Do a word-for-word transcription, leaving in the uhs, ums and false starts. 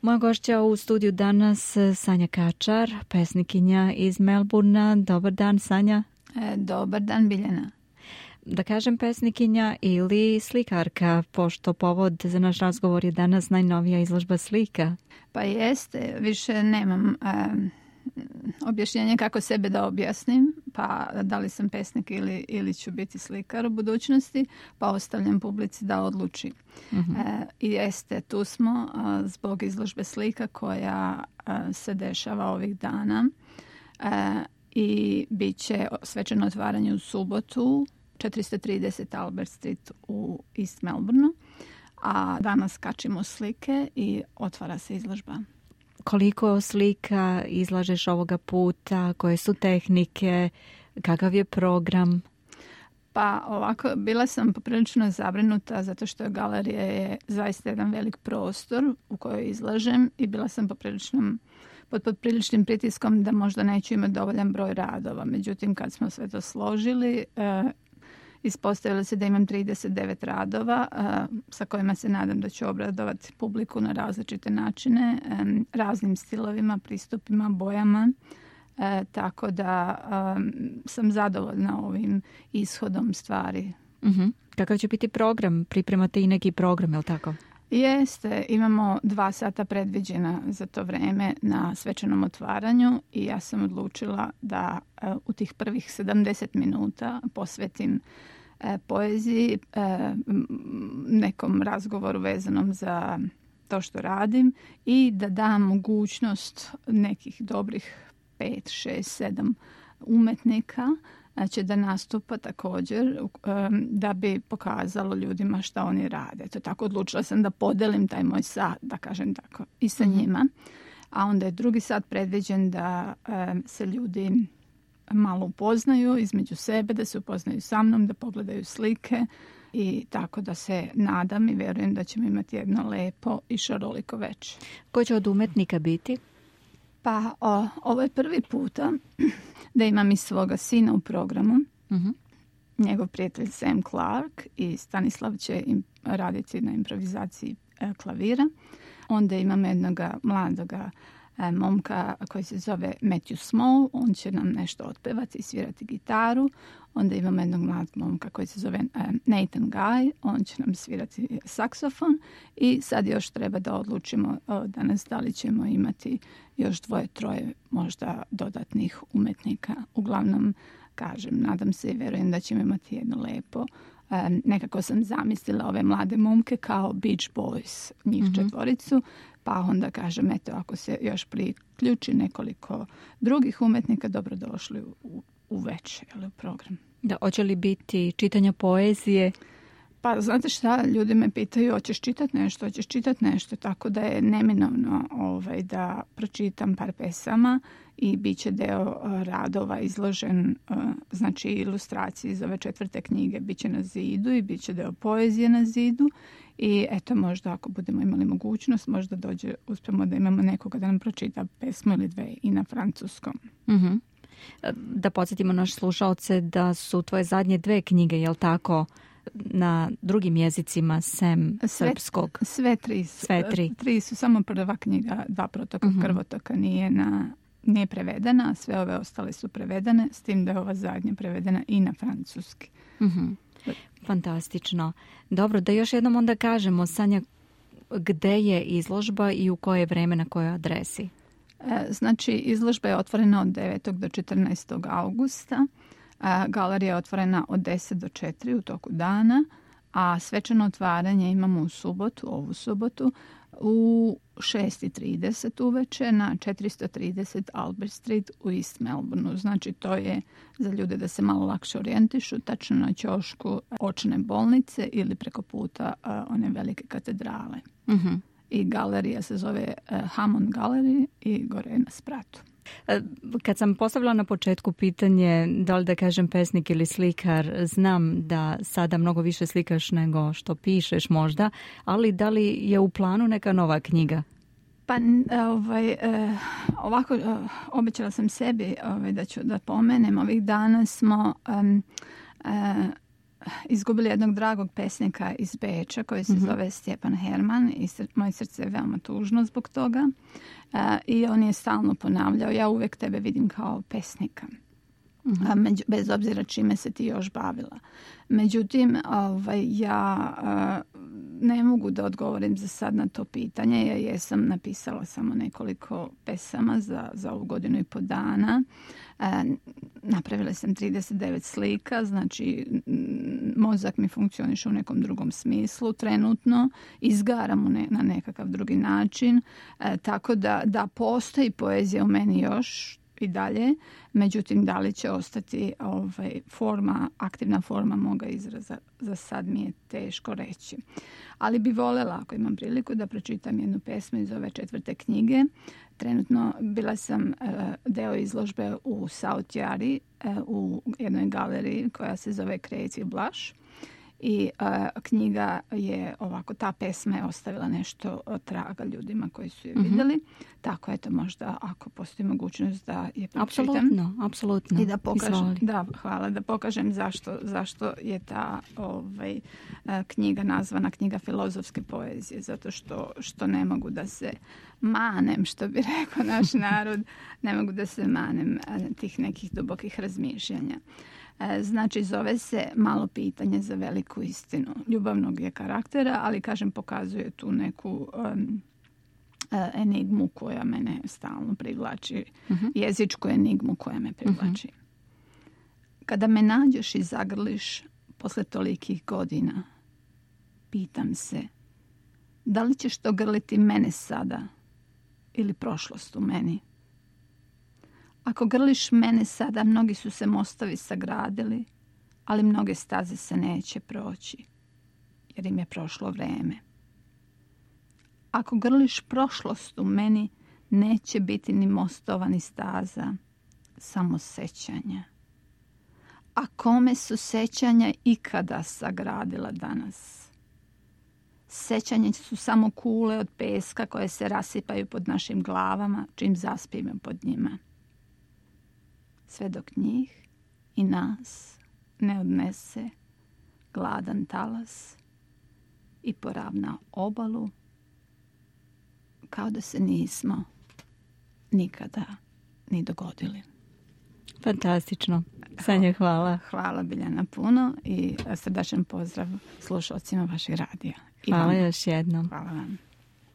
Moja gošća u studiju danas Sanja Kačar, pesnikinja iz Melbournea. Dobar dan, Sanja. E, dobar dan, Biljana. Da kažem pesnikinja ili slikarka, pošto povod za naš razgovor je danas najnovija izložba slika. Pa jeste, više nemam um, objašnjenje kako sebe da objasnim, pa da li sam pesnik ili, ili ću biti slikar u budućnosti, pa ostavljam publici da odluči. Uh-huh. E, I jeste, tu smo a, zbog izložbe slika koja a, se dešava ovih dana e, i bit će svečano otvaranje u subotu, četiristo trideset Albert Street u East Melbourneu, a danas kačimo slike i otvara se izložba. Koliko slika izlažeš ovoga puta, koje su tehnike, kakav je program? Pa ovako, bila sam poprilično zabrinuta zato što galerija je zaista jedan velik prostor u kojoj izlažem i bila sam poprilično pod popriličnim pritiskom da možda neću imati dovoljan broj radova. Međutim, kad smo sve to složili, e, ispostavilo se da imam trideset devet radova a, sa kojima se nadam da ću obradovati publiku na različite načine, a, raznim stilovima, pristupima, bojama. A, tako da a, sam zadovoljna ovim ishodom stvari. Uh-huh. Kakav će biti program? Pripremate i neki program, je li tako? Jeste, imamo dva sata predviđena za to vreme na svečanom otvaranju i ja sam odlučila da uh, u tih prvih sedamdeset minuta posvetim uh, poeziji, uh, nekom razgovoru vezanom za to što radim i da dam mogućnost nekih dobrih pet, šest, sedam umetnika će da nastupa također um, da bi pokazalo ljudima šta oni rade. To tako odlučila sam da podelim taj moj sat, da kažem tako, i sa mm-hmm. njima. A onda je drugi sat predviđen da um, se ljudi malo upoznaju između sebe, da se upoznaju sa mnom, da pogledaju slike i tako da se nadam i verujem da ćemo imati jedno lepo i šaroliko večer. Ko će od umetnika biti? Pa o, ovo je prvi puta da imam i svoga sina u programu. Uh-huh. Njegov prijatelj Sam Clark i Stanislav će im raditi na improvizaciji e, klavira. Onda imam jednog mladoga e, momka koji se zove Matthew Small. On će nam nešto otpevati i svirati gitaru. Onda imam jednog mladog momka koji se zove e, Nathan Guy. On će nam svirati saksofon. I sad još treba da odlučimo o, danas da li ćemo imati još dvoje, troje možda dodatnih umetnika. Uglavnom, kažem, nadam se i verujem da ćemo imati jedno lepo. Um, nekako sam zamislila ove mlade momke kao Beach Boys, njih mm-hmm. četvoricu, pa onda kažem, eto, ako se još priključi nekoliko drugih umetnika, dobrodošli u, u večer, ali u program. Da, hoće li biti čitanja poezije? Pa znate šta, ljudi me pitaju, hoćeš čitati nešto, hoćeš čitati nešto, tako da je neminovno ovaj, da pročitam par pesama i bit će deo uh, radova izložen, uh, znači ilustracije iz ove četvrte knjige bit će na zidu i bit će deo poezije na zidu i eto možda ako budemo imali mogućnost, možda dođe, uspemo da imamo nekoga da nam pročita pesmu ili dve i na francuskom. Uh-huh. Da podsjetimo naše slušaoce da su tvoje zadnje dve knjige, je li tako, na drugim jezicima sem sve, srpskog? Sve tri su. Sve tri. Tri su, samo prva knjiga, Dva protoka uh-huh. krvotoka nije, na, nije prevedena, a sve ove ostale su prevedene, s tim da je ova zadnja prevedena i na francuski. Uh-huh. Fantastično. Dobro, da još jednom onda kažemo, Sanja, gde je izložba i u koje vreme, na kojoj adresi? E, znači, izložba je otvorena od devetog do četrnaestog augusta. Galerija je otvorena od deset do četiri u toku dana, a svečano otvaranje imamo u subotu, ovu subotu, u šest i trideset uveče na četiristo trideset Albert Street u East Melbourneu. Znači to je za ljude da se malo lakše orijentišu, tačno na ćošku očne bolnice ili preko puta uh, one velike katedrale. Uh-huh. I galerija se zove uh, Hammond Gallery i gore na spratu. Kad sam postavila na početku pitanje da li da kažem pesnik ili slikar, znam da sada mnogo više slikaš nego što pišeš možda, ali da li je u planu neka nova knjiga? Pa ovaj, ovako obećala sam sebi ovaj, da ću da pomenem. Ovih dana smo um, uh, izgubili jednog dragog pesnika iz Beča koji se mm-hmm. zove Stjepan Herman i sr- moje srce je veoma tužno zbog toga. Uh, I on je stalno ponavljao, ja uvijek tebe vidim kao pesnika. Mm-hmm. A među, bez obzira čime se ti još bavila. Međutim, ovaj, ja uh, ne mogu da odgovorim za sad na to pitanje. Ja jesam napisala samo nekoliko pesama za, za ovu godinu i po dana. Uh, napravila sam trideset devet slika, znači mozak mi funkcioniše u nekom drugom smislu trenutno, izgaram ne, na nekakav drugi način, uh, tako da, da postoji poezija u meni još i dalje, međutim da li će ostati ovaj, forma, aktivna forma moga izraza, za sad mi je teško reći. Ali bi voljela, ako imam priliku, da pročitam jednu pesmu iz ove četvrte knjige. Trenutno bila sam uh, deo izložbe u South Yari, uh, u jednoj galeriji koja se zove Creative Blush. I uh, knjiga je ovako, ta pesma je ostavila nešto traga ljudima koji su je vidjeli. Mm-hmm. Tako eto, možda ako postoji mogućnost da je pročitam. Apsolutno, apsolutno. I da pokažem, da, hvala, da pokažem zašto, zašto je ta ovaj, knjiga nazvana knjiga filozofske poezije. Zato što, što ne mogu da se manem, što bi rekao naš narod, ne mogu da se manem tih nekih dubokih razmišljanja. Znači, zove se Malo pitanje za veliku istinu. Ljubavnog je karaktera, ali, kažem, pokazuje tu neku um, enigmu koja mene stalno privlači. Uh-huh. Jezičku enigmu koja me privlači. Uh-huh. Kada me nađeš i zagrliš posle tolikih godina, pitam se, da li ćeš to grliti mene sada ili prošlost u meni? Ako grliš mene sada, mnogi su se mostovi sagradili, ali mnoge staze se neće proći, jer im je prošlo vreme. Ako grliš prošlost u meni, neće biti ni mostova ni staza, samo sećanja. A kome su sećanja ikada sagradila danas? Sećanja su samo kule od peska koje se rasipaju pod našim glavama, čim zaspimo pod njima. Sve dok njih i nas ne odnese gladan talas i poravna obalu, kao da se nismo nikada ni dogodili. Fantastično. Sanja, hvala. Hvala Biljana puno i srdačan pozdrav slušalcima vašeg radija. Hvala još jednom. Hvala vam.